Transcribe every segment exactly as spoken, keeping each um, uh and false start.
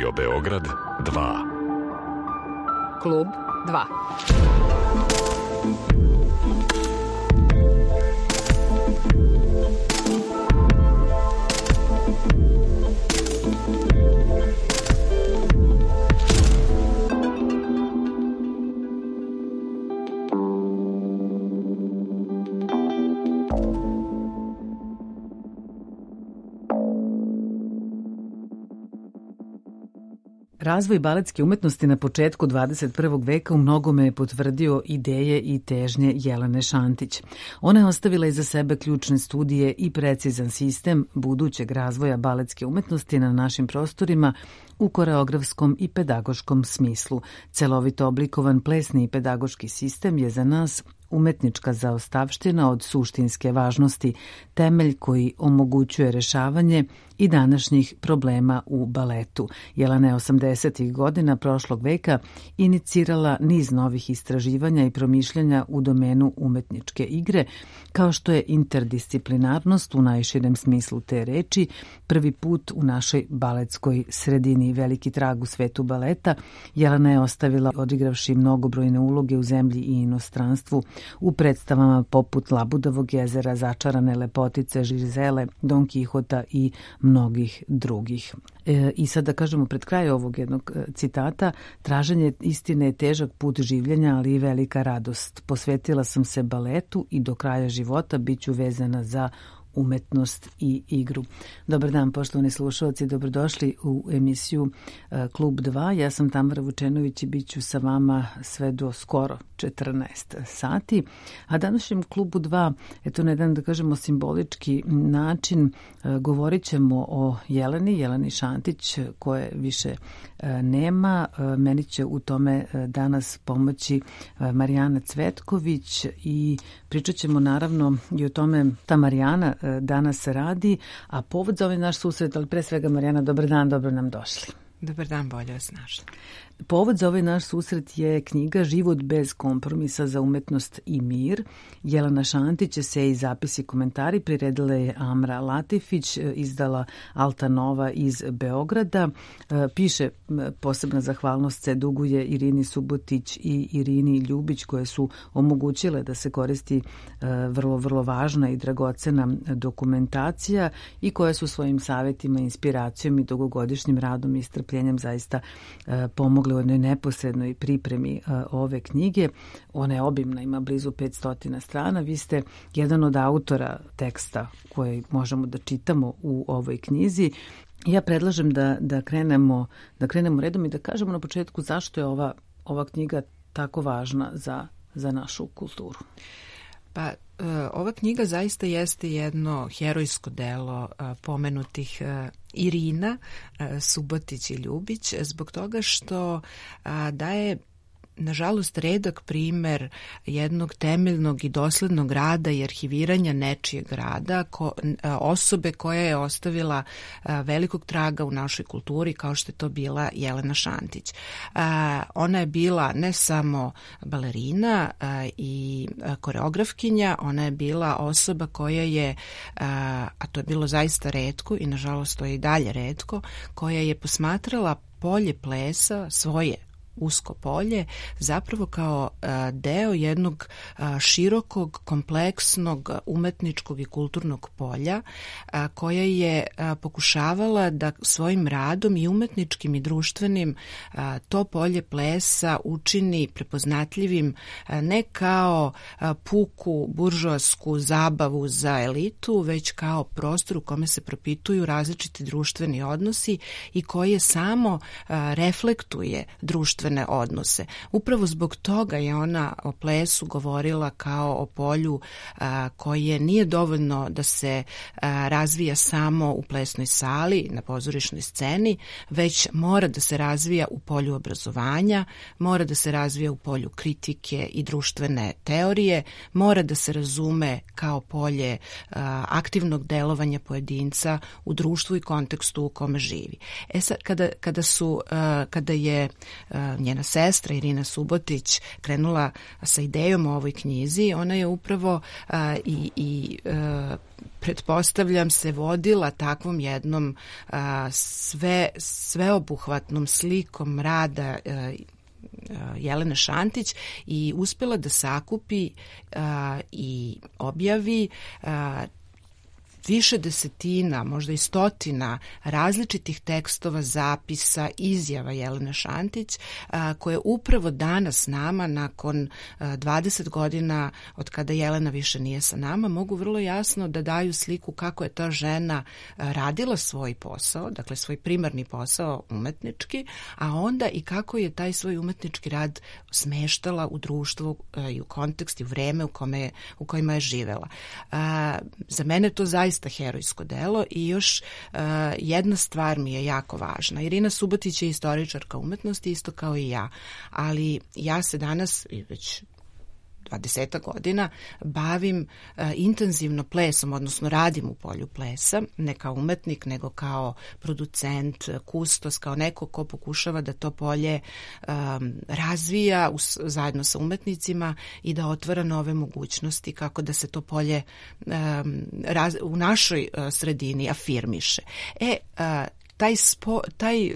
Radio Beograd dva. Klub dva. Razvoj baletske umetnosti na početku dvadeset prvog veka u mnogome je potvrdio ideje i težnje Jelene Šantić. Ona je ostavila iza sebe ključne studije i precizan sistem budućeg razvoja baletske umetnosti na našim prostorima u koreografskom i pedagoškom smislu. Celovito oblikovan plesni i pedagoški sistem je za nas umetnička zaostavština od suštinske važnosti, temelj koji omogućuje rešavanje i današnjih problema u baletu. Jelena je osamdesetih godina prošlog veka inicirala niz novih istraživanja i promišljanja u domenu umetničke igre, kao što je interdisciplinarnost u najširem smislu te reči, prvi put u našoj baletskoj sredini. Veliki trag u svetu baleta Jelena je ostavila odigravši mnogobrojne uloge u zemlji i inostranstvu, u predstavama poput Labudovog jezera, Začarane lepotice, Žizele, Don Kihota i mnogih drugih. E, I sad da kažemo pred kraj ovog jednog citata, traženje istine je težak put življenja, ali i velika radost. Posvetila sam se baletu i do kraja života bit ću vezana za umetnost i igru. Dobar dan, poštovani slušalci, dobrodošli u emisiju Klub dva. Ja sam Tamara Vučenović i bit ću sa vama sve do skoro četrnaest sati. A današnjem Klubu dva, eto na jedan, da kažemo, simbolički način, govorit ćemo o Jeleni, Jeleni Šantić, koje više nema. Meni će u tome danas pomoći Marijana Cvetković i pričat ćemo naravno i o tome ta Marijana danas radi, a povod za ovaj naš susret, ali pre svega Marijana, dobar dan, dobro nam došli. Dobar dan, bolje vas našli. Povod za ovaj naš susret je knjiga Život bez kompromisa za umetnost i mir. Jelena Šantić, se i zapisi komentari priredila je Amra Latifić, izdala Alta Nova iz Beograda. Piše posebna zahvalnost se duguje Irini Subotić i Irini Ljubić, koje su omogućile da se koristi vrlo, vrlo važna i dragocena dokumentacija i koje su svojim savjetima, inspiracijom i dugogodišnjim radom i strpljenjem zaista pomogli u jednoj neposrednoj pripremi uh, ove knjige. Ona je obimna, ima blizu petsto strana. Vi ste jedan od autora teksta koji možemo da čitamo u ovoj knjizi. Ja predlažem da, da, krenemo, da krenemo redom i da kažemo na početku zašto je ova, ova knjiga tako važna za, za našu kulturu. Pa, ova knjiga zaista jeste jedno herojsko delo pomenutih Irina, Subotić i Ljubić, zbog toga što daje nažalost redak primer jednog temeljnog i doslednog rada i arhiviranja nečijeg rada, ko, osobe koja je ostavila velikog traga u našoj kulturi, kao što je to bila Jelena Šantić. Ona je bila ne samo balerina i koreografkinja, ona je bila osoba koja je, a to je bilo zaista retko i nažalost to je i dalje retko, koja je posmatrala polje plesa, svoje usko polje, zapravo kao a, deo jednog a, širokog, kompleksnog umetničkog i kulturnog polja, a, koja je a, pokušavala da svojim radom i umetničkim i društvenim a, to polje plesa učini prepoznatljivim a, ne kao a, puku buržoasku zabavu za elitu, već kao prostor u kome se propituju različiti društveni odnosi i koje samo a, reflektuje društvene odnose. Upravo zbog toga je ona o plesu govorila kao o polju a, koje nije dovoljno da se a, razvija samo u plesnoj sali, na pozorišnoj sceni, već mora da se razvija u polju obrazovanja, mora da se razvija u polju kritike i društvene teorije, mora da se razume kao polje a, aktivnog delovanja pojedinca u društvu i kontekstu u kome živi. E sad, kada, kada, su, a, kada je a, njena sestra Irina Subotić krenula sa idejom o ovoj knjizi, ona je upravo a, i, i a, pretpostavljam se vodila takvom jednom a, sve, sveobuhvatnom slikom rada a, Jelene Šantić i uspjela da sakupi a, i objavi a, više desetina, možda i stotina različitih tekstova, zapisa, izjava Jelene Šantić, a, koje upravo danas nama, nakon a, dvadeset godina od kada Jelena više nije sa nama, mogu vrlo jasno da daju sliku kako je ta žena a, radila svoj posao, dakle svoj primarni posao umetnički, a onda i kako je taj svoj umetnički rad smeštala u društvu a, i u kontekst i u vreme u, kome, u kojima je živela. A, za mene to zaista zaista herojsko delo i još uh, jedna stvar mi je jako važna. Irina Subotić je istoričarka umetnosti, isto kao i ja, ali ja se danas, već dvadeset godina, bavim uh, intenzivno plesom, odnosno radim u polju plesa, ne kao umetnik, nego kao producent, kustos, kao neko ko pokušava da to polje um, razvija us, zajedno sa umetnicima i da otvara nove mogućnosti kako da se to polje um, raz, u našoj uh, sredini afirmiše. E, uh, Taj, spo, taj,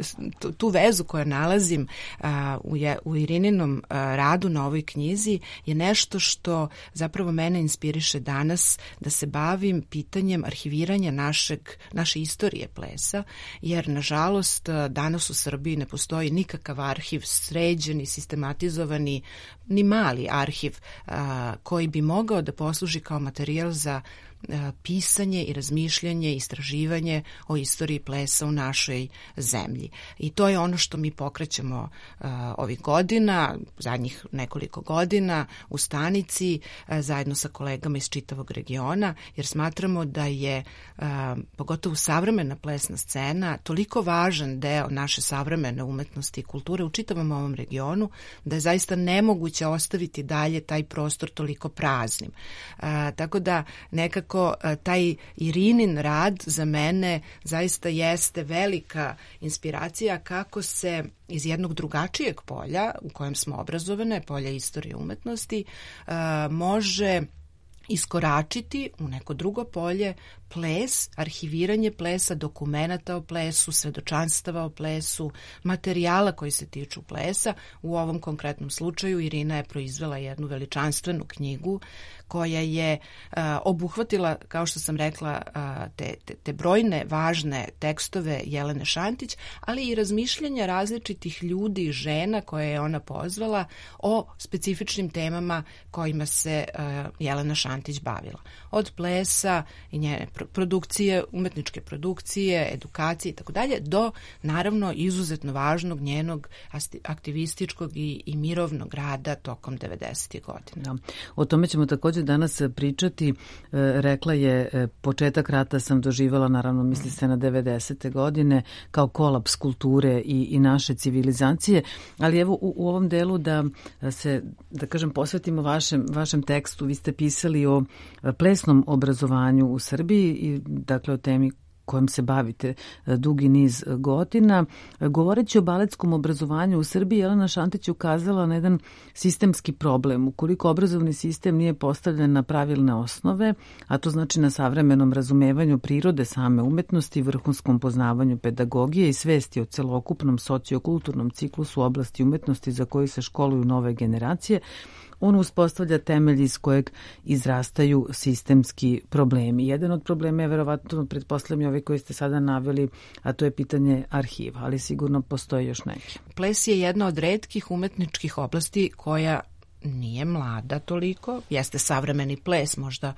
tu vezu koju nalazim a, u, je, u Irininom a, radu na ovoj knjizi je nešto što zapravo mene inspiriše danas da se bavim pitanjem arhiviranja našeg, naše istorije plesa, jer nažalost danas u Srbiji ne postoji nikakav arhiv sređeni, sistematizovani, ni mali arhiv a, koji bi mogao da posluži kao materijal za pisanje i razmišljanje, istraživanje o istoriji plesa u našoj zemlji. I to je ono što mi pokrećemo uh, ovih godina, zadnjih nekoliko godina u stanici, uh, zajedno sa kolegama iz čitavog regiona, jer smatramo da je uh, pogotovo savremena plesna scena toliko važan deo naše savremene umetnosti i kulture u čitavom ovom regionu, da je zaista nemoguće ostaviti dalje taj prostor toliko praznim. Uh, tako da nekako taj Irinin rad za mene zaista jeste velika inspiracija kako se iz jednog drugačijeg polja u kojem smo obrazovane, polja istorije umetnosti, može iskoračiti u neko drugo polje, ples, arhiviranje plesa, dokumenata o plesu, svedočanstava o plesu, materijala koji se tiču plesa. U ovom konkretnom slučaju Irina je proizvela jednu veličanstvenu knjigu koja je uh, obuhvatila, kao što sam rekla, uh, te, te, te brojne važne tekstove Jelene Šantić, ali i razmišljanja različitih ljudi i žena koje je ona pozvala o specifičnim temama kojima se uh, Jelena Šantić bavila. Od plesa i njene produkcije, umetničke produkcije, edukacije i tako dalje, do naravno izuzetno važnog njenog aktivističkog i, i mirovnog rada tokom devedesetih godina. Da. O tome ćemo također danas pričati. E, rekla je, e, početak rata sam doživjela, naravno misli se na devedesete godine, kao kolaps kulture i, i naše civilizacije, ali evo u, u ovom delu da se, da kažem, posvetimo vašem, vašem tekstu. Vi ste pisali o plesnom obrazovanju u Srbiji i dakle o temi kojom se bavite dugi niz godina. Govoreći o baletskom obrazovanju u Srbiji, Jelena Šantić je ukazala na jedan sistemski problem. Ukoliko obrazovni sistem nije postavljen na pravilne osnove, a to znači na savremenom razumevanju prirode same umetnosti, vrhunskom poznavanju pedagogije i svesti o celokupnom sociokulturnom ciklusu u oblasti umetnosti za koju se školuju nove generacije, on uspostavlja temelj iz kojeg izrastaju sistemski problemi. Jedan od problema je verovatno, pretpostavljam, ove koje ste sada naveli, a to je pitanje arhiva, ali sigurno postoje još neki. Ples je jedna od retkih umetničkih oblasti koja nije mlada toliko. Jeste savremeni ples, možda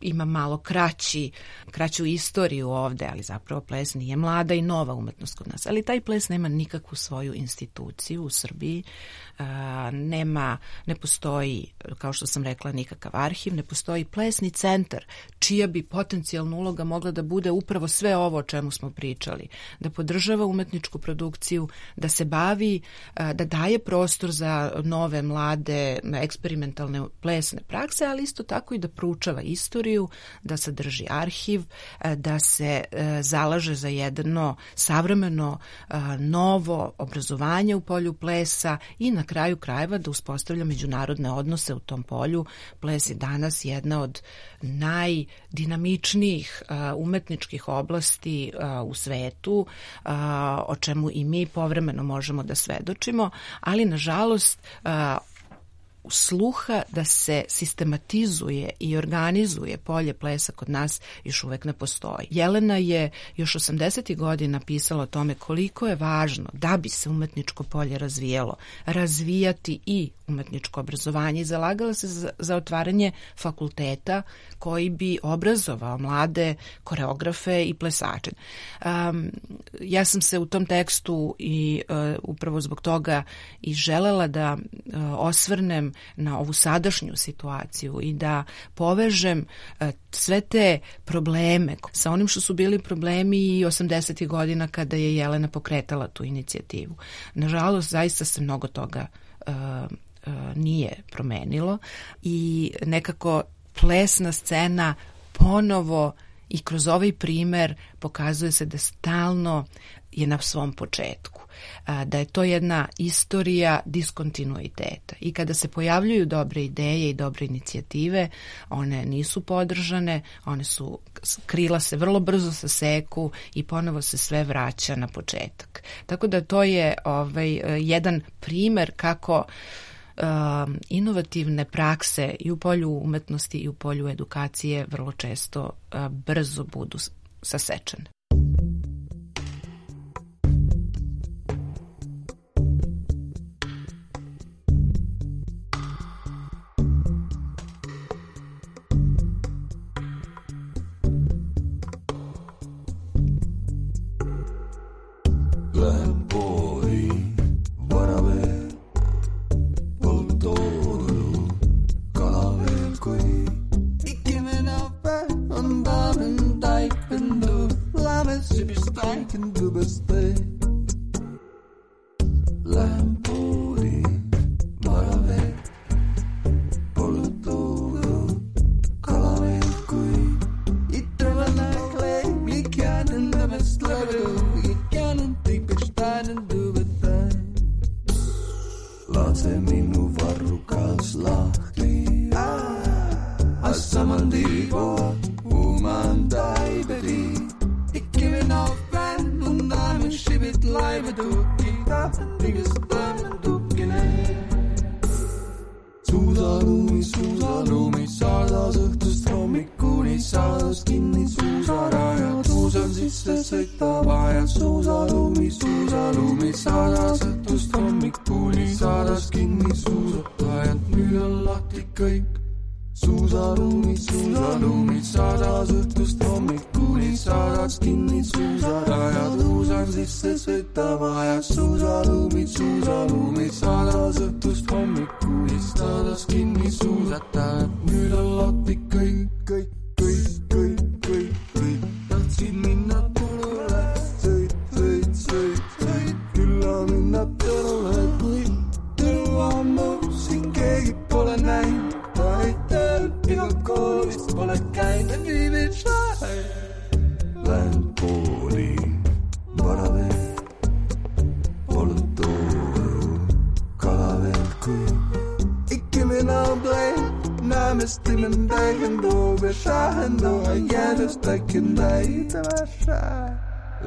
ima malo kraći, kraću istoriju ovde, ali zapravo ples nije mlada i nova umetnost kod nas. Ali taj ples nema nikakvu svoju instituciju u Srbiji, a, nema, ne postoji, kao što sam rekla, nikakav arhiv, ne postoji plesni centar, čija bi potencijalna uloga mogla da bude upravo sve ovo o čemu smo pričali, da podržava umetničku produkciju, da se bavi, a, da daje prostor za nove, mlade, eksperimentalne plesne prakse, ali isto tako i da proučava istoriju istoriju, da sadrži arhiv, da se zalaže za jedno savremeno novo obrazovanje u polju plesa i na kraju krajeva da uspostavlja međunarodne odnose u tom polju. Ples je danas jedna od najdinamičnijih umetničkih oblasti u svetu, o čemu i mi povremeno možemo da svedočimo, ali nažalost sluha da se sistematizuje i organizuje polje plesa kod nas još uvek ne postoji. Jelena je još osamdesetih godina pisala o tome koliko je važno da bi se umetničko polje razvijalo, razvijati i umetničko obrazovanje i zalagala se za, za otvaranje fakulteta koji bi obrazovao mlade koreografe i plesače. Um, ja sam se u tom tekstu i uh, upravo zbog toga i želela da uh, osvrnem na ovu sadašnju situaciju i da povežem uh, sve te probleme sa onim što su bili problemi i osamdesetih godina kada je Jelena pokretala tu inicijativu. Nažalost, zaista se mnogo toga uh, uh, nije promenilo i nekako plesna scena ponovo i kroz ovaj primer pokazuje se da stalno je na svom početku, da je to jedna istorija diskontinuiteta i kada se pojavljuju dobre ideje i dobre inicijative, one nisu podržane, one su, krila se vrlo brzo saseku i ponovo se sve vraća na početak. Tako da to je ovaj, jedan primer kako Uh, inovativne prakse i u polju umetnosti i u polju edukacije vrlo često uh, brzo budu sasečene.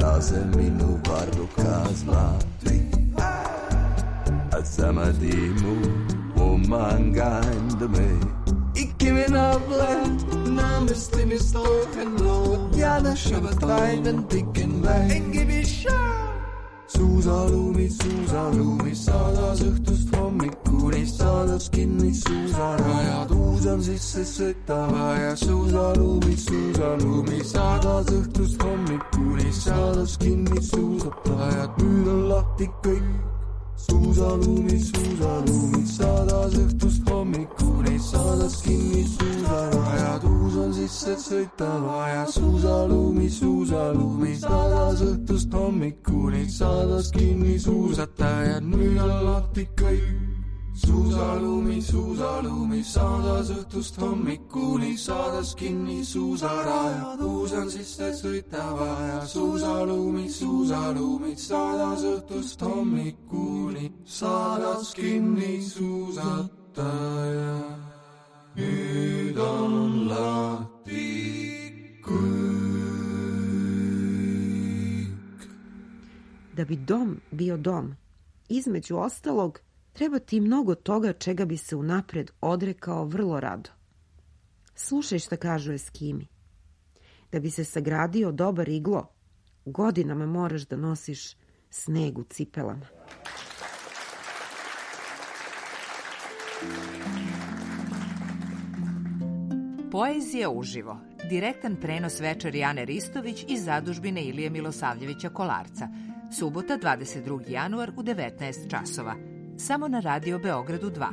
Lasemi nu guardo casmati Azamadimu umangand me Ikimina blend Namisti mi stoken lo Jana shabataiven dikken lei Engivi shaa Suusalumi, suusalumi, sadas õhtust hommikuni, sadas kinni suusarajad, uus on sisse sõitava ja suusalumi, suusalumi, sadas õhtust hommikuni, sadas kinni suusatajad, nüüd on lahti kõik. Suusalumi, suusalumi, sadas õhtust hommikuni, sadas kinni suusarajad, uus on sisse sõitava ja suusalumi, suusalumi, sadas õhtust hommikuni, sadas kinni suusatajad, nüüd on lahti kõik. suusalumi, suusalumi, saades õhtust hommikuni, saades kinni suusarajad, uusan sisse sõitava ja suusalumi, suusalumi, saades õhtust hommikuni, saades kinni suusataja. Nüüd on lahti kõik. Da bi dom bio dom, između ostalog, treba ti mnogo toga čega bi se unapred odrekao vrlo rado. Slušaj šta kažu Eskimi. Da bi se sagradio dobar iglo, godinama moraš da nosiš sneg u cipelama. Poezija uživo. Direktan prenos večeri Ane Ristović iz zadužbine Ilije Milosavljevića Kolarca. Subota, dvadeset drugi januar u devetnaest časova. Samo na Radio Beogradu dva.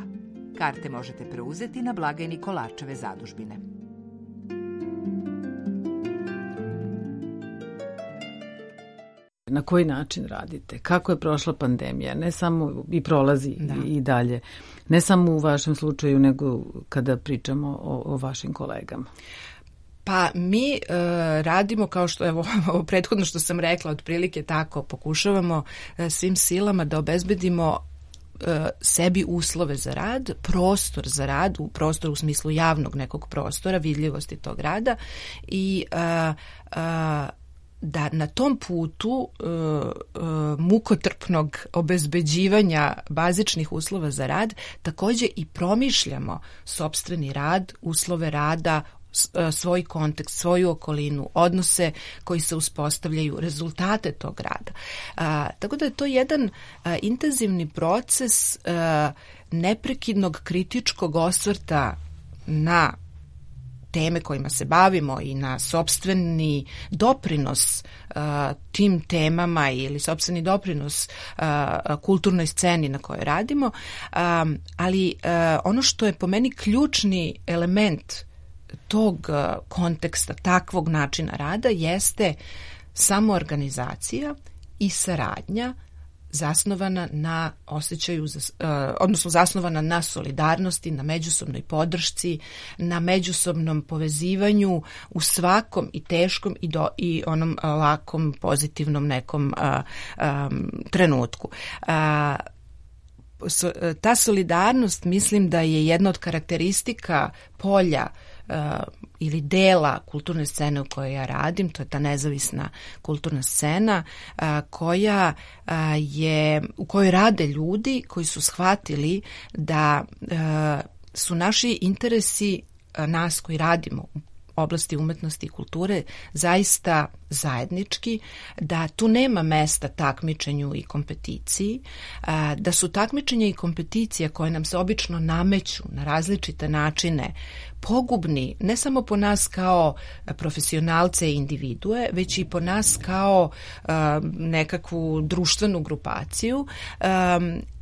Karte možete preuzeti na blagajni Kolarčeve zadužbine. Na koji način radite? Kako je prošla pandemija? Ne samo i prolazi da. i dalje. Ne samo u vašem slučaju, nego kada pričamo o, o vašim kolegama. Pa mi e, radimo kao što, evo, ovo prethodno što sam rekla, otprilike tako, pokušavamo e, svim silama da obezbedimo e, sebi uslove za rad, prostor za rad, u prostor u smislu javnog nekog prostora, vidljivosti tog rada i e, e, da na tom putu e, e, mukotrpnog obezbeđivanja bazičnih uslova za rad takođe i promišljamo sopstveni rad, uslove rada, svoj kontekst, svoju okolinu, odnose koji se uspostavljaju, rezultate tog rada. A, tako da je to jedan a, intenzivni proces a, neprekidnog kritičkog osvrta na teme kojima se bavimo i na sopstveni doprinos uh, tim temama ili sopstveni doprinos uh, kulturnoj sceni na kojoj radimo, um, ali uh, ono što je po meni ključni element tog uh, konteksta, takvog načina rada jeste samoorganizacija i saradnja zasnovana na osjećaju, za, uh, odnosno zasnovana na solidarnosti, na međusobnoj podršci, na međusobnom povezivanju u svakom i teškom i, do, i onom uh, lakom, pozitivnom nekom uh, um, trenutku. Uh, so, uh, ta solidarnost mislim da je jedna od karakteristika polja uh, ili dela kulturne scene u kojoj ja radim, to je ta nezavisna kulturna scena a, koja a, je, u kojoj rade ljudi koji su shvatili da a, su naši interesi a, nas koji radimo u oblasti umetnosti i kulture zaista zajednički, da tu nema mesta takmičenju i kompeticiji, da su takmičenja i kompeticija koje nam se obično nameću na različite načine pogubni ne samo po nas kao profesionalce i individue, već i po nas kao nekakvu društvenu grupaciju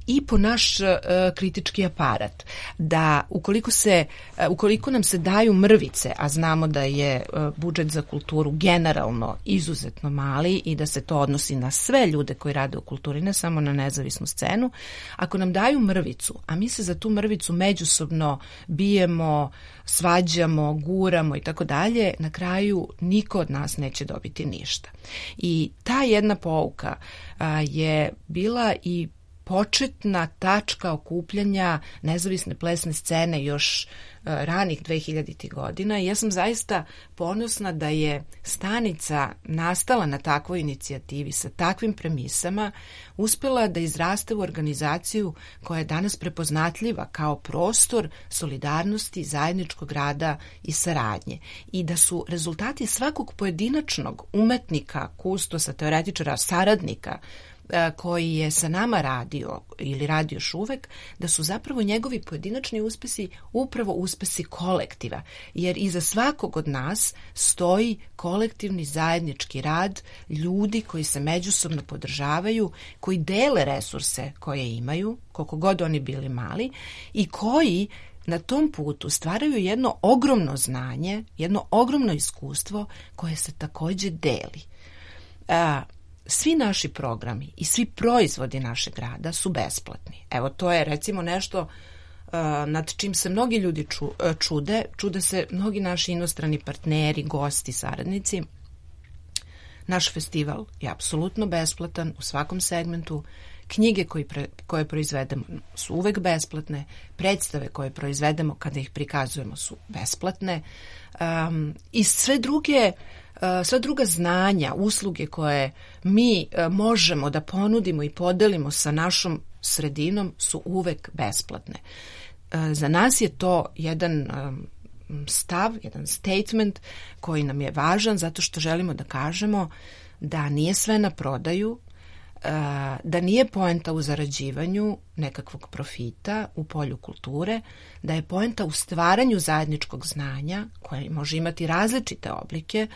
i po naš uh, kritički aparat, da ukoliko se uh, ukoliko nam se daju mrvice, a znamo da je uh, budžet za kulturu generalno izuzetno mali i da se to odnosi na sve ljude koji rade u kulturi, ne samo na nezavisnu scenu, ako nam daju mrvicu, a mi se za tu mrvicu međusobno bijemo, svađamo, guramo i tako dalje, na kraju niko od nas neće dobiti ništa. I ta jedna pouka uh, je bila i početna tačka okupljanja nezavisne plesne scene još uh, ranih dvehiljaditih godina i ja sam zaista ponosna da je stanica nastala na takvoj inicijativi sa takvim premisama, uspela da izraste u organizaciju koja je danas prepoznatljiva kao prostor solidarnosti, zajedničkog rada i saradnje i da su rezultati svakog pojedinačnog umetnika, kustosa, teoretičara, saradnika koji je sa nama radio ili radi još uvek, da su zapravo njegovi pojedinačni uspesi upravo uspesi kolektiva, jer iza svakog od nas stoji kolektivni zajednički rad ljudi koji se međusobno podržavaju, koji dele resurse koje imaju, koliko god oni bili mali, i koji na tom putu stvaraju jedno ogromno znanje, jedno ogromno iskustvo koje se takođe deli. A, svi naši programi i svi proizvodi našeg rada su besplatni. Evo, to je recimo nešto uh, nad čim se mnogi ljudi ču, uh, čude. Čude se mnogi naši inostrani partneri, gosti, saradnici. Naš festival je apsolutno besplatan u svakom segmentu. Knjige koje, pre, koje proizvedemo su uvek besplatne. Predstave koje proizvedemo kada ih prikazujemo su besplatne. Um, I sve druge... Sva druga znanja, usluge koje mi možemo da ponudimo i podelimo sa našom sredinom su uvek besplatne. Za nas je to jedan stav, jedan statement koji nam je važan zato što želimo da kažemo da nije sve na prodaju, da nije poenta u zarađivanju nekakvog profita u polju kulture, da je poenta u stvaranju zajedničkog znanja koje može imati različite oblike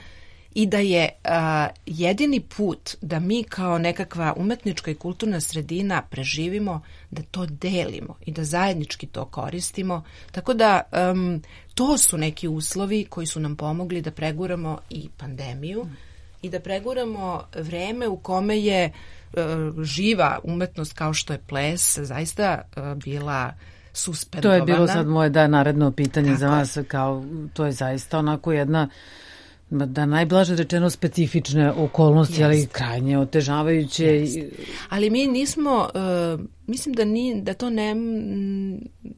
i da je a, jedini put da mi kao nekakva umetnička i kulturna sredina preživimo, da to delimo i da zajednički to koristimo. Tako da um, to su neki uslovi koji su nam pomogli da preguramo i pandemiju mm. i da preguramo vreme u kome je uh, živa umetnost kao što je ples zaista uh, bila suspendovana. To je bilo sad moje da naredno pitanje Tako za vas, kao to je zaista onako jedna da najblaže rečeno specifične okolnosti, yes. ali krajnje otežavajuće. Yes. Ali mi nismo, uh, mislim da, ni, da to ne,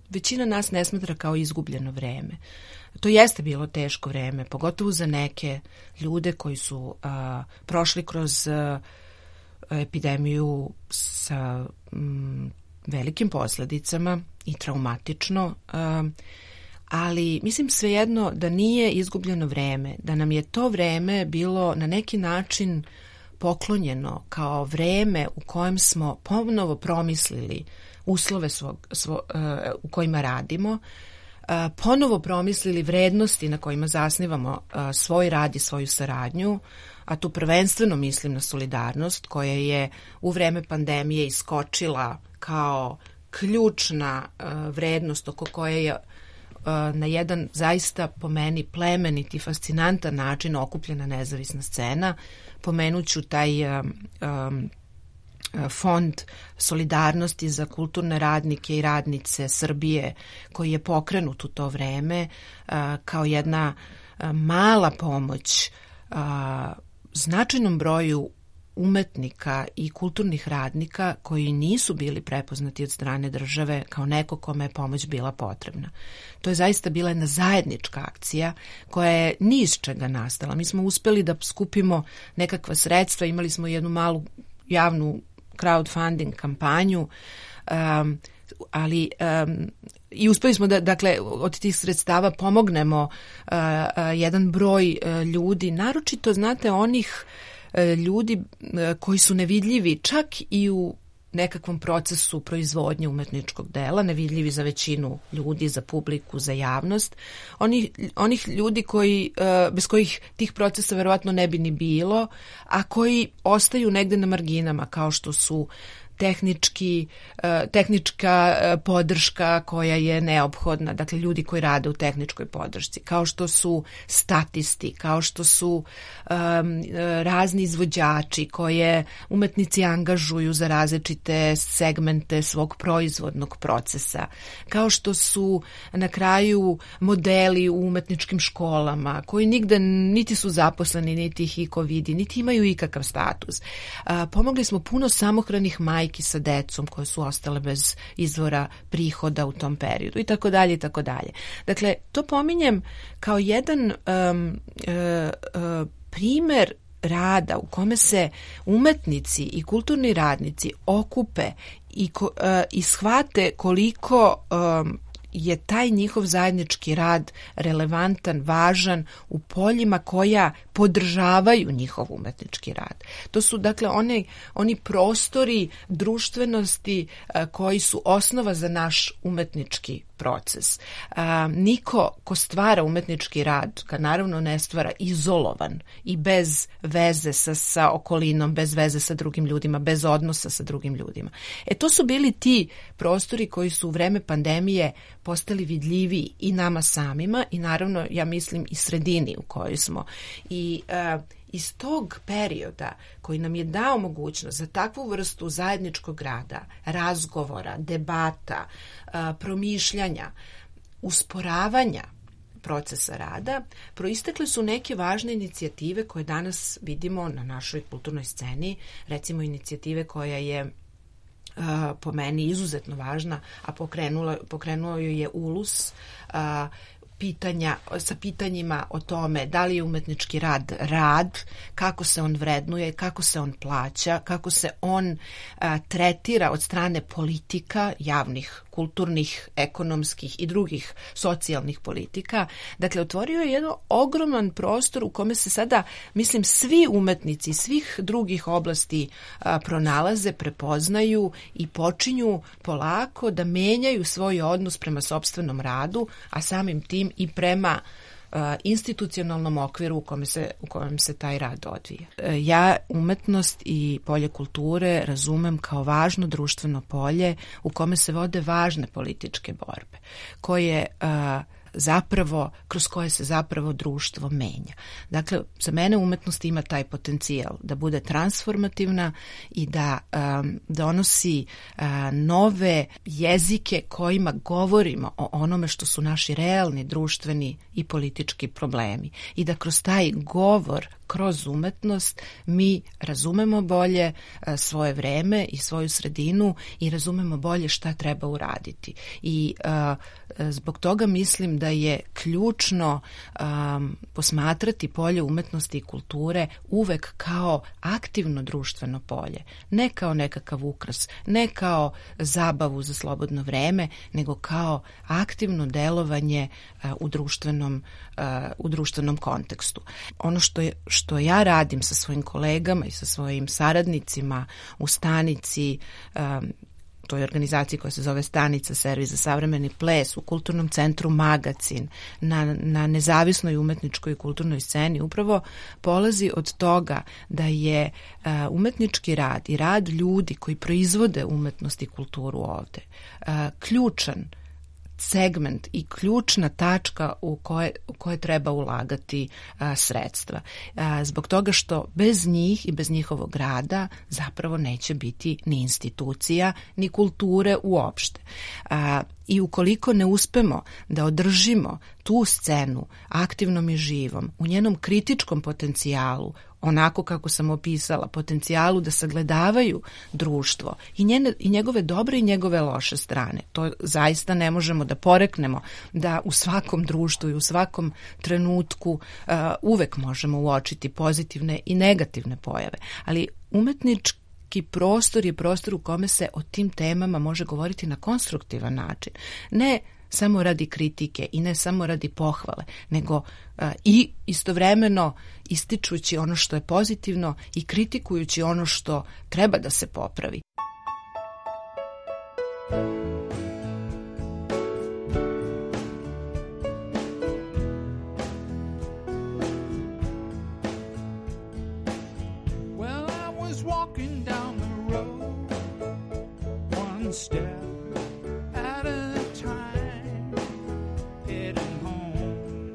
većina nas ne smatra kao izgubljeno vreme. To jeste bilo teško vreme, pogotovo za neke ljude koji su uh, prošli kroz uh, epidemiju sa um, velikim posledicama i traumatično, uh, ali mislim svejedno da nije izgubljeno vreme, da nam je to vreme bilo na neki način poklonjeno kao vreme u kojem smo ponovo promislili uslove svog, svo, uh, u kojima radimo, uh, ponovo promislili vrednosti na kojima zasnivamo uh, svoj rad i svoju saradnju, a tu prvenstveno mislim na solidarnost koja je u vreme pandemije iskočila kao ključna uh, vrednost oko koje je na jedan zaista po meni plemenit i fascinantan način okupljena nezavisna scena. Pomenuću taj um, um, fond solidarnosti za kulturne radnike i radnice Srbije koji je pokrenut u to vreme uh, kao jedna uh, mala pomoć uh, značajnom broju umetnika i kulturnih radnika koji nisu bili prepoznati od strane države kao neko kome je pomoć bila potrebna. To je zaista bila jedna zajednička akcija koja je ni iz čega nastala. Mi smo uspeli da skupimo nekakva sredstva, imali smo jednu malu javnu crowdfunding kampanju, um, ali um, i uspeli smo da, dakle, od tih sredstava pomognemo uh, uh, jedan broj uh, ljudi, naročito, znate, onih ljudi koji su nevidljivi čak i u nekakvom procesu proizvodnje umetničkog dela, nevidljivi za većinu ljudi, za publiku, za javnost. Oni, onih ljudi koji, bez kojih tih procesa verovatno ne bi ni bilo, a koji ostaju negde na marginama, kao što su tehnički, tehnička podrška koja je neophodna, dakle ljudi koji rade u tehničkoj podršci, kao što su statisti, kao što su um, razni izvođači koje umetnici angažuju za različite segmente svog proizvodnog procesa, kao što su na kraju modeli u umetničkim školama koji nigde niti su zaposleni, niti ih iko vidi, niti imaju ikakav status. A, pomogli smo puno samohranih majki sa decom koje su ostale bez izvora prihoda u tom periodu i tako dalje i tako dalje. Dakle, to pominjem kao jedan um, uh, uh, primer rada u kome se umetnici i kulturni radnici okupe i, ko, uh, i shvate koliko um, je taj njihov zajednički rad relevantan, važan u poljima koja podržavaju njihov umetnički rad. To su dakle oni, oni prostori društvenosti a, koji su osnova za naš umetnički proces. A, niko ko stvara umetnički rad, ga naravno ne stvara izolovan i bez veze sa, sa okolinom, bez veze sa drugim ljudima, bez odnosa sa drugim ljudima. E to su bili ti prostori koji su u vreme pandemije postali vidljiviji i nama samima i naravno ja mislim i sredini u kojoj smo. I, uh, iz tog perioda koji nam je dao mogućnost za takvu vrstu zajedničkog rada, razgovora, debata, promišljanja, usporavanja procesa rada, proistekle su neke važne inicijative koje danas vidimo na našoj kulturnoj sceni, recimo inicijative koja je po meni izuzetno važna, a pokrenulo, pokrenuo joj je Ulus, pitanja, sa pitanjima o tome da li je umetnički rad rad, kako se on vrednuje, kako se on plaća, kako se on a, tretira od strane politika, javnih, kulturnih, ekonomskih i drugih socijalnih politika. Dakle, otvorio je jedan ogroman prostor u kome se sada, mislim, svi umetnici svih drugih oblasti a, pronalaze, prepoznaju i počinju polako da menjaju svoj odnos prema sopstvenom radu, a samim tim i prema uh, institucionalnom okviru u kome se, u kojem se taj rad odvija. Uh, ja umetnost i polje kulture razumem kao važno društveno polje u kome se vode važne političke borbe, koje uh, zapravo, kroz koje se zapravo društvo menja. Dakle, za mene umetnost ima taj potencijal da bude transformativna i da um, donosi uh, nove jezike kojima govorimo o onome što su naši realni društveni i politički problemi i da kroz taj govor, kroz umetnost mi razumemo bolje uh, svoje vreme i svoju sredinu i razumemo bolje šta treba uraditi. I uh, zbog toga mislim da je ključno um, posmatrati polje umetnosti i kulture uvek kao aktivno društveno polje, ne kao nekakav ukras, ne kao zabavu za slobodno vreme, nego kao aktivno delovanje uh, u društvenom uh, u društvenom kontekstu. Ono što je, što ja radim sa svojim kolegama i sa svojim saradnicima u stanici, um, toj organizaciji koja se zove Stanica, servis za savremeni ples, u kulturnom centru Magacin, na, na nezavisnoj umetničkoj i kulturnoj sceni, upravo polazi od toga da je uh, umetnički rad i rad ljudi koji proizvode umetnost i kulturu ovde uh, ključan segment i ključna tačka u koje, u koje treba ulagati a, sredstva. A, zbog toga što bez njih i bez njihovog rada zapravo neće biti ni institucija, ni kulture uopšte. A, I ukoliko ne uspemo da održimo tu scenu aktivnom i živom, u njenom kritičkom potencijalu, onako kako sam opisala, potencijalu da sagledavaju društvo i, njene, i njegove dobre i njegove loše strane. To zaista ne možemo da poreknemo, da u svakom društvu i u svakom trenutku uh, uvek možemo uočiti pozitivne i negativne pojave. Ali umetnički prostor je prostor u kome se o tim temama može govoriti na konstruktivan način. Ne samo radi kritike i ne samo radi pohvale, nego a, i istovremeno ističući ono što je pozitivno i kritikujući ono što treba da se popravi. Well, I was walking down the road, one step at a time, heading home.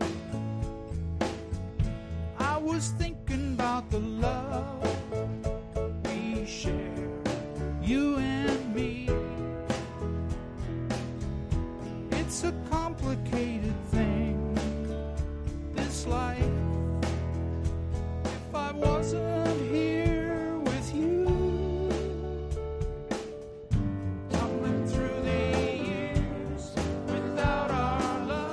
I was thinking about the love we share, you and me. It's a complicated thing, this life. If I wasn't here with you, tumbling through the years without our love.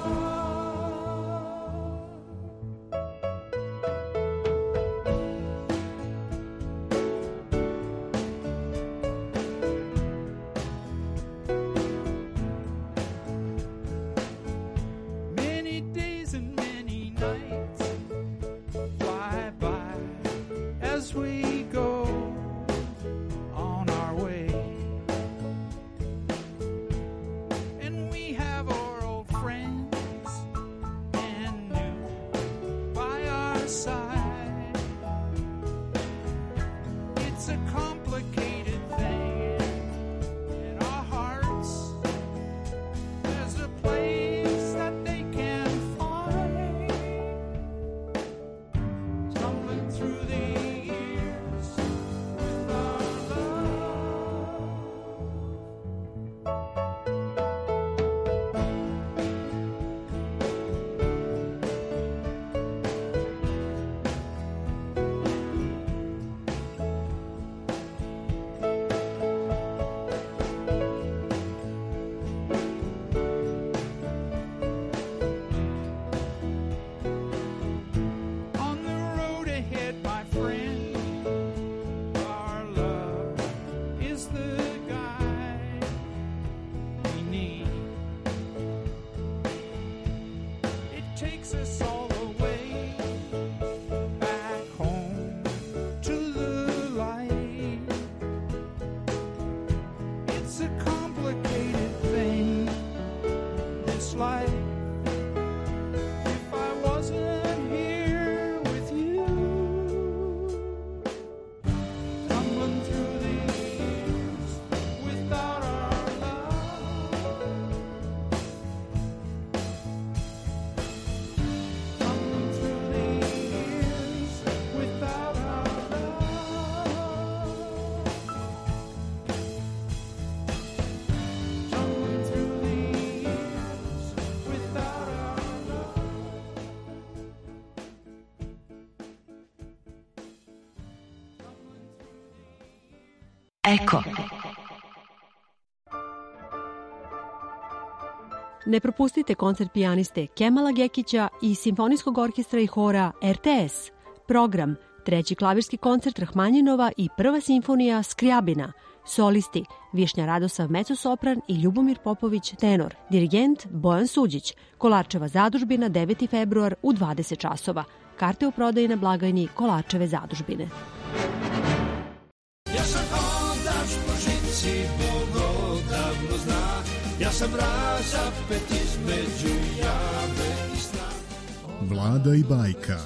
takes us all away back home to the light. It's a complicated thing, this life. If I wasn't here with you, tumbling through the years without our love, tumbling through the years without our love, tumbling through the years without our love. Eko. Ne propustite koncert pijaniste Kemala Gekića i Simfonijskog orkestra i hora R T S. Program, treći klavirski koncert Rahmanjinova i prva simfonija Skrijabina. Solisti Višnja Radosav mecosopran i Ljubomir Popović tenor. Dirigent Bojan Suđić. Kolarčeva zadužbina deveti februar u dvadeset časova. Karte u prodaji na blagajni Kolarčeve zadužbine. Ja sam hodač po žici, Bog odavno zna. Ja sam razapet između jave i sna. Vlada i bajka.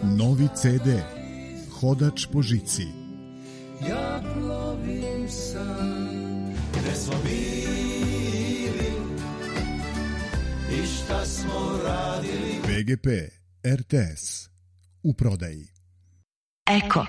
Novi C D. Hodač po žici. Ja plovim sam, gde smo bili i šta smo radili. V G P R T S. U prodaji. Eko.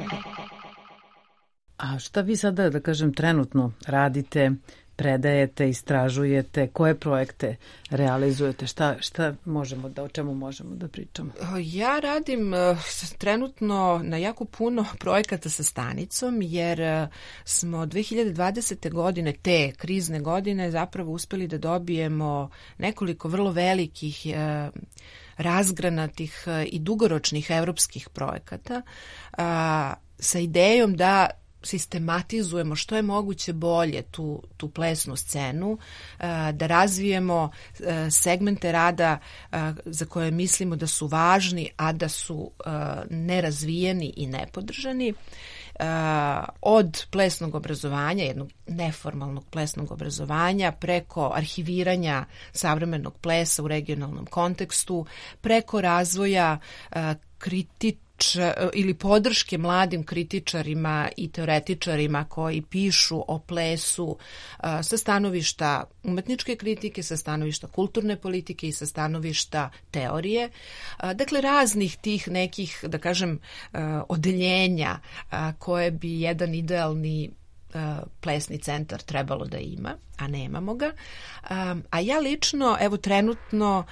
A šta vi sada, da kažem, trenutno radite, predajete, istražujete, koje projekte realizujete, šta, šta možemo da, o čemu možemo da pričamo? Ja radim uh, trenutno na jako puno projekata sa stanicom, jer uh, smo dve hiljade dvadesete. godine, te krizne godine, zapravo uspeli da dobijemo nekoliko vrlo velikih uh, razgranatih uh, i dugoročnih evropskih projekata uh, sa idejom da sistematizujemo što je moguće bolje tu, tu plesnu scenu, da razvijemo segmente rada za koje mislimo da su važni, a da su nerazvijeni i nepodržani. Od plesnog obrazovanja, jednog neformalnog plesnog obrazovanja, preko arhiviranja savremenog plesa u regionalnom kontekstu, preko razvoja kritičnog ili podrške mladim kritičarima i teoretičarima koji pišu o plesu sa stanovišta umetničke kritike, sa stanovišta kulturne politike i sa stanovišta teorije. Dakle, raznih tih nekih, da kažem, odeljenja koje bi jedan idealni plesni centar trebalo da ima, a nemamo ga. A ja lično, evo trenutno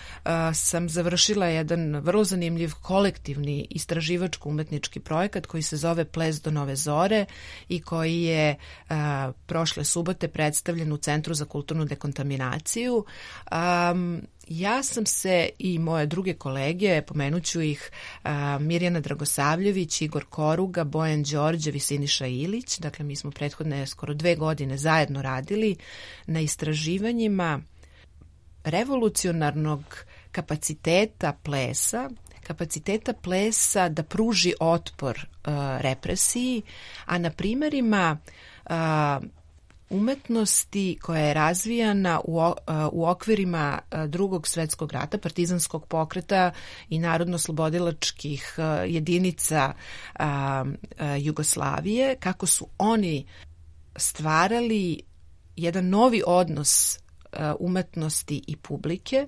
sam završila jedan vrlo zanimljiv kolektivni istraživačko-umetnički projekat koji se zove Ples do nove zore i koji je prošle subote predstavljen u Centru za kulturnu dekontaminaciju. Ja sam se i moje druge kolege, pomenuću ih, Mirjana Dragosavljević, Igor Koruga, Bojan Đorđev i Siniša Ilić, dakle mi smo prethodne skoro dve godine zajedno radili na istraživanjima revolucionarnog kapaciteta plesa, kapaciteta plesa da pruži otpor uh, represiji, a na primerima uh, umetnosti koja je razvijana u, u okvirima Drugog svetskog rata, partizanskog pokreta i narodno-slobodilačkih jedinica Jugoslavije, kako su oni stvarali jedan novi odnos umetnosti i publike,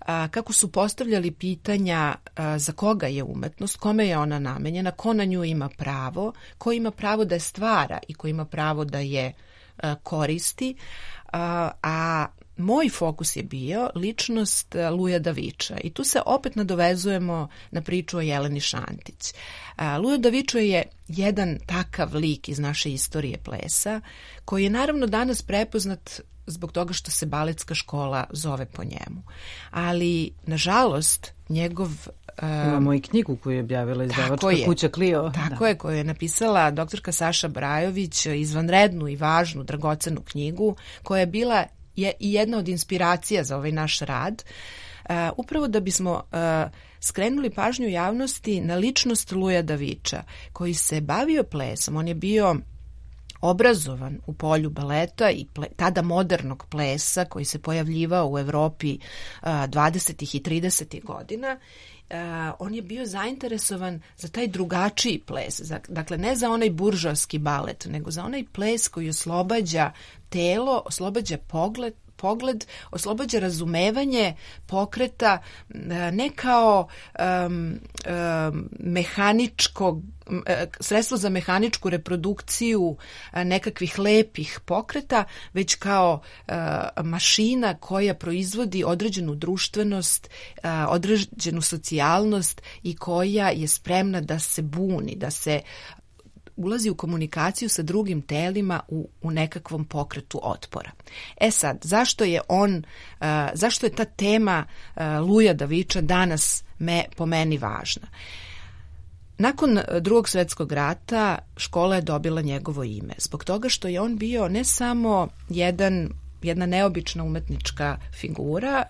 kako su postavljali pitanja za koga je umetnost, kome je ona namenjena, ko na nju ima pravo, ko ima pravo da je stvara i ko ima pravo da je koristi, a, a moj fokus je bio ličnost Luja Daviča i tu se opet nadovezujemo na priču o Jeleni Šantić. Lujo Davičo je jedan takav lik iz naše istorije plesa koji je naravno danas prepoznat zbog toga što se baletska škola zove po njemu. Ali, nažalost, njegov... Imamo i knjigu koju je objavila izdavačka kuća Clio. Tako da. je, koju je napisala doktorka Saša Brajović, izvanrednu i važnu, dragocenu knjigu, koja je bila je i jedna od inspiracija za ovaj naš rad. upravo da bismo skrenuli pažnju javnosti na ličnost Luja Daviča, koji se bavio plesom. On je bio obrazovan u polju baleta i ple, tada modernog plesa koji se pojavljivao u Evropi dvadesetih i tridesetih godina. Uh, on je bio zainteresovan za taj drugačiji ples, za, dakle ne za onaj buržoaski balet, nego za onaj ples koji oslobađa telo, oslobađa pogled, pogled, oslobađa razumevanje pokreta ne kao um, um, mehaničkog sredstvo za mehaničku reprodukciju nekakvih lepih pokreta, već kao uh, mašina koja proizvodi određenu društvenost, uh, određenu socijalnost i koja je spremna da se buni, da se ulazi u komunikaciju sa drugim telima u, u nekakvom pokretu otpora. E sad, zašto je on, uh, zašto je ta tema uh, Luja Daviča danas me, po meni važna? Nakon Drugog svjetskog rata škola je dobila njegovo ime, zbog toga što je on bio ne samo jedan jedna neobična umetnička figura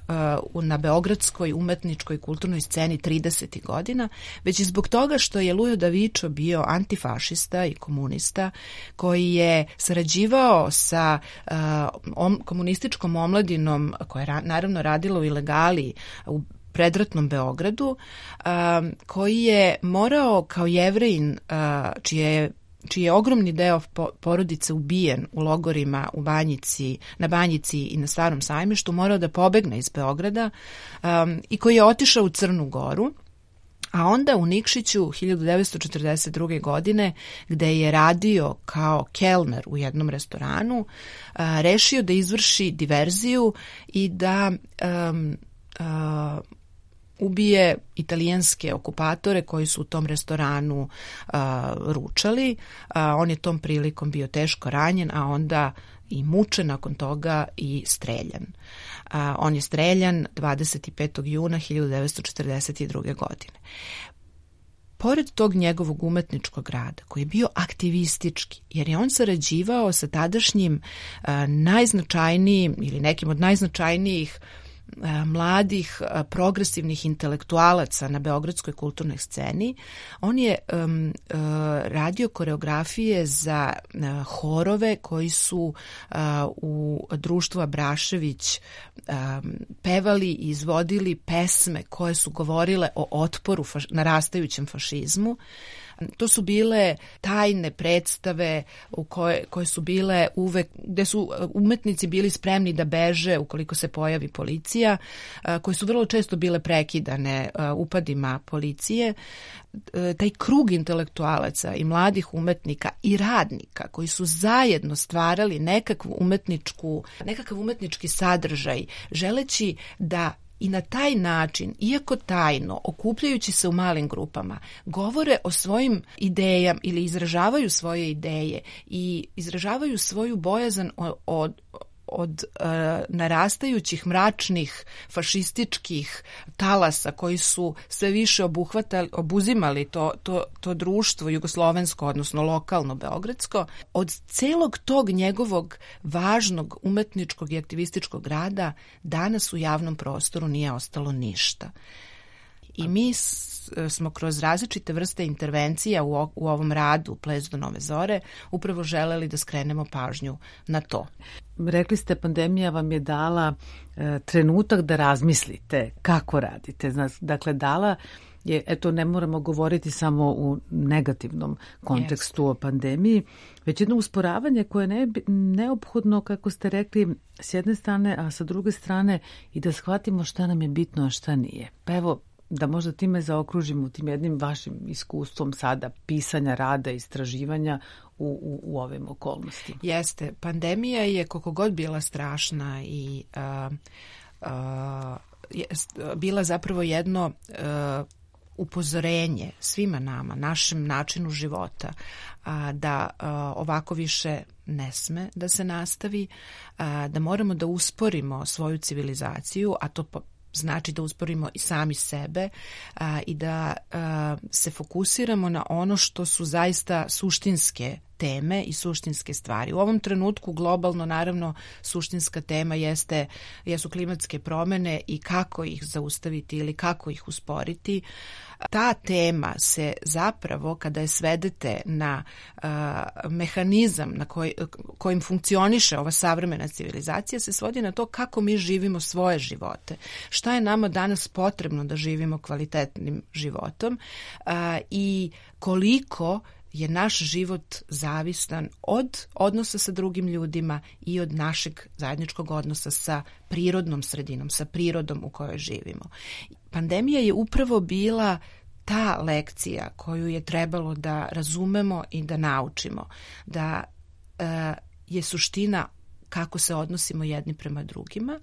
uh, na beogradskoj umetničkoj kulturnoj sceni tridesetih godina, već i zbog toga što je Lujo Davičo bio antifašista i komunista koji je sarađivao sa uh, om, komunističkom omladinom koja je ra, naravno radila u ilegali u predratnom Beogradu, uh, koji je morao kao Jevrejin, uh, čije je čiji je ogromni deo porodice ubijen u logorima u Banjici, na Banjici i na Starom Sajmištu, morao da pobegne iz Beograda um, i koji je otišao u Crnu Goru, a onda u Nikšiću hiljadu devetsto četrdeset druge. godine, gde je radio kao kelner u jednom restoranu, uh, rešio da izvrši diverziju i da um, uh, ubije italijanske okupatore koji su u tom restoranu uh, ručali. Uh, on je tom prilikom bio teško ranjen, a onda i mučen nakon toga i streljan. Uh, on je streljan dvadeset petog juna hiljadu devetsto četrdeset druge. godine. Pored tog njegovog umetničkog rada, koji je bio aktivistički, jer je on sarađivao sa tadašnjim uh, najznačajnijim ili nekim od najznačajnijih mladih progresivnih intelektualaca na beogradskoj kulturnoj sceni. On je um, uh, radio koreografije za uh, horove koji su uh, u društvu Abrašević um, pevali i izvodili pesme koje su govorile o otporu faš, narastajućem fašizmu. To su bile tajne predstave u koje, koje su bile uvek, gde su umetnici bili spremni da beže ukoliko se pojavi policija, koje su vrlo često bile prekidane upadima policije. Taj krug intelektualaca i mladih umetnika i radnika koji su zajedno stvarali nekakvu umetničku, nekakav umetnički sadržaj, želeći da i na taj način, iako tajno, okupljajući se u malim grupama, govore o svojim idejama ili izražavaju svoje ideje i izražavaju svoju bojazan od, od, od uh, narastajućih mračnih fašističkih talasa koji su sve više obuhvatali, obuzimali to, to, to društvo jugoslovensko, odnosno lokalno beogradsko. Od celog tog njegovog važnog umetničkog i aktivističkog rada danas u javnom prostoru nije ostalo ništa. I mi smo kroz različite vrste intervencija u, u ovom radu Ples do nove zore upravo želeli da skrenemo pažnju na to. Rekli ste, pandemija vam je dala e, trenutak da razmislite kako radite. Dakle, dala je, eto, ne moramo govoriti samo u negativnom kontekstu yes. o pandemiji, već jedno usporavanje koje je ne, neophodno, kako ste rekli, s jedne strane, a sa druge strane i da shvatimo šta nam je bitno, a šta nije. Pa evo, da možda time zaokružimo tim jednim vašim iskustvom sada pisanja, rada, istraživanja u, u, u ovim okolnostima. Jeste, pandemija je koliko god bila strašna i uh, uh, je, bila zapravo jedno uh, upozorenje svima nama, našem načinu života, uh, da uh, ovako više ne sme da se nastavi, uh, da moramo da usporimo svoju civilizaciju, a to po znači da usporimo i sami sebe a, i da a, se fokusiramo na ono što su zaista suštinske teme i suštinske stvari. U ovom trenutku globalno naravno suštinska tema jeste, jesu klimatske promene i kako ih zaustaviti ili kako ih usporiti. Ta tema se zapravo, kada je svedete na uh, mehanizam na koj, kojim funkcioniše ova savremena civilizacija, se svodi na to kako mi živimo svoje živote. Šta je nama danas potrebno da živimo kvalitetnim životom uh, i koliko je naš život zavistan od odnosa sa drugim ljudima i od našeg zajedničkog odnosa sa prirodnom sredinom, sa prirodom u kojoj živimo. Pandemija je upravo bila ta lekcija koju je trebalo da razumemo i da naučimo, da e, je suština kako se odnosimo jedni prema drugima,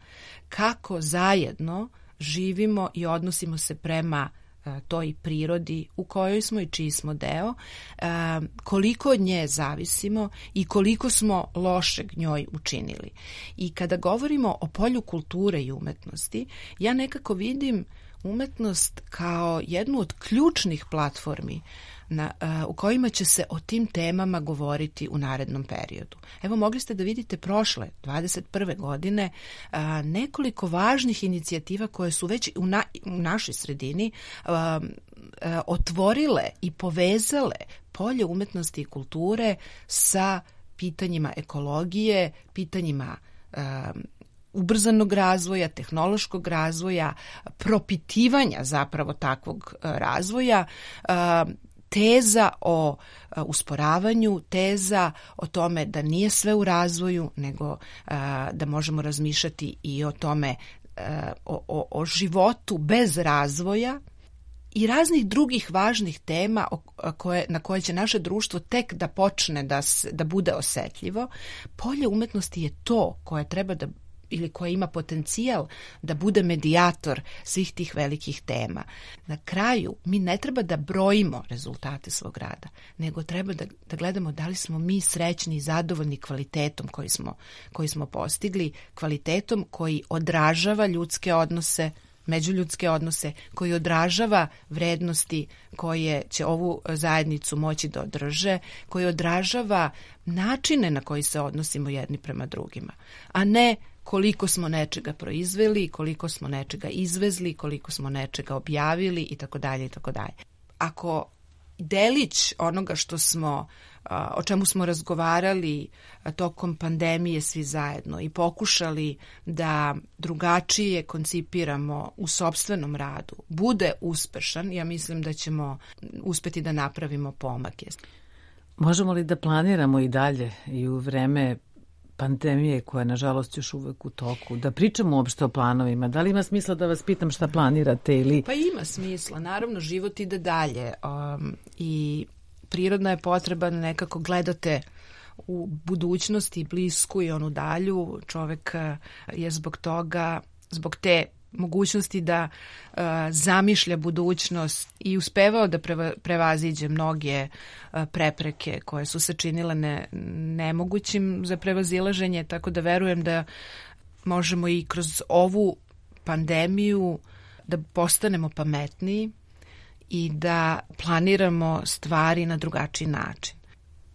kako zajedno živimo i odnosimo se prema toj prirodi u kojoj smo i čiji smo deo, koliko od nje zavisimo i koliko smo lošeg njoj učinili. I kada govorimo o polju kulture i umetnosti, ja nekako vidim umetnost kao jednu od ključnih platformi na, u kojima će se o tim temama govoriti u narednom periodu. Evo, mogli ste da vidite prošle, dvadeset prve godine, a, nekoliko važnih inicijativa koje su već u, na, u našoj sredini a, a, otvorile i povezale polje umetnosti i kulture sa pitanjima ekologije, pitanjima a, ubrzanog razvoja, tehnološkog razvoja, propitivanja zapravo takvog razvoja, teza o usporavanju, teza o tome da nije sve u razvoju, nego da možemo razmišljati i o tome, o, o, o životu bez razvoja i raznih drugih važnih tema koje, na koje će naše društvo tek da počne da, da bude osetljivo. Polje umetnosti je to koje treba da ili koja ima potencijal da bude medijator svih tih velikih tema. Na kraju, mi ne treba da brojimo rezultate svog rada, nego treba da, da gledamo da li smo mi srećni i zadovoljni kvalitetom koji smo, koji smo postigli, kvalitetom koji odražava ljudske odnose, međuljudske odnose, koji odražava vrednosti koje će ovu zajednicu moći da održe, koji odražava načine na koji se odnosimo jedni prema drugima, a ne koliko smo nečega proizveli, koliko smo nečega izvezli, koliko smo nečega objavili i tako dalje i tako dalje. Ako delić onoga što smo, o čemu smo razgovarali tokom pandemije svi zajedno i pokušali da drugačije koncipiramo u sopstvenom radu, bude uspešan, ja mislim da ćemo uspeti da napravimo pomake. Možemo li da planiramo i dalje i u vreme pandemije koja je nažalost još uvek u toku, da pričamo uopšte o planovima? Da li ima smisla da vas pitam šta planirate ili... Pa ima smisla, naravno život ide dalje um, i prirodna je potreba da nekako gledate u budućnosti, blisku i onu dalju. Čovek je zbog toga, zbog te mogućnosti da uh, zamišlja budućnost i uspevao da preva, prevaziđe mnoge uh, prepreke koje su se činile ne, nemogućim za prevazilaženje, tako da verujem da možemo i kroz ovu pandemiju da postanemo pametniji i da planiramo stvari na drugačiji način.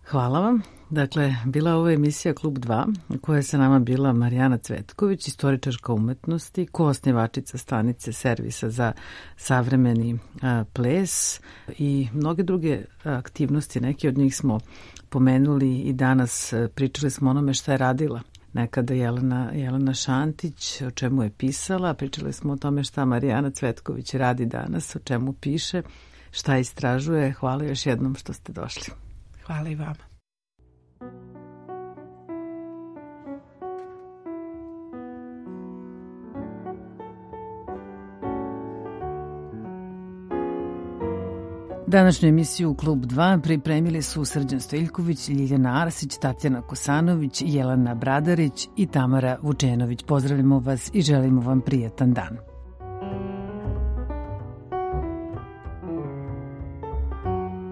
Hvala vam. Dakle, bila ovo emisija Klub dva, u kojoj je sa nama bila Marijana Cvetković, istoričarka umetnosti, koosnivačica stanice Servisa za savremeni a, ples i mnoge druge aktivnosti. Neki od njih smo pomenuli i danas pričali smo onome šta je radila nekada Jelena, Jelena Šantić, o čemu je pisala. Pričali smo o tome šta Marijana Cvetković radi danas, o čemu piše, šta istražuje. Hvala još jednom što ste došli. Hvala i vama. Današnju emisiju Klub dva pripremili su Srđan Stojiljković, Ljiljana Arsić, Tatjana Kosanović, Jelena Bradarić i Tamara Vučenović. Pozdravljamo vas i želimo vam prijetan dan.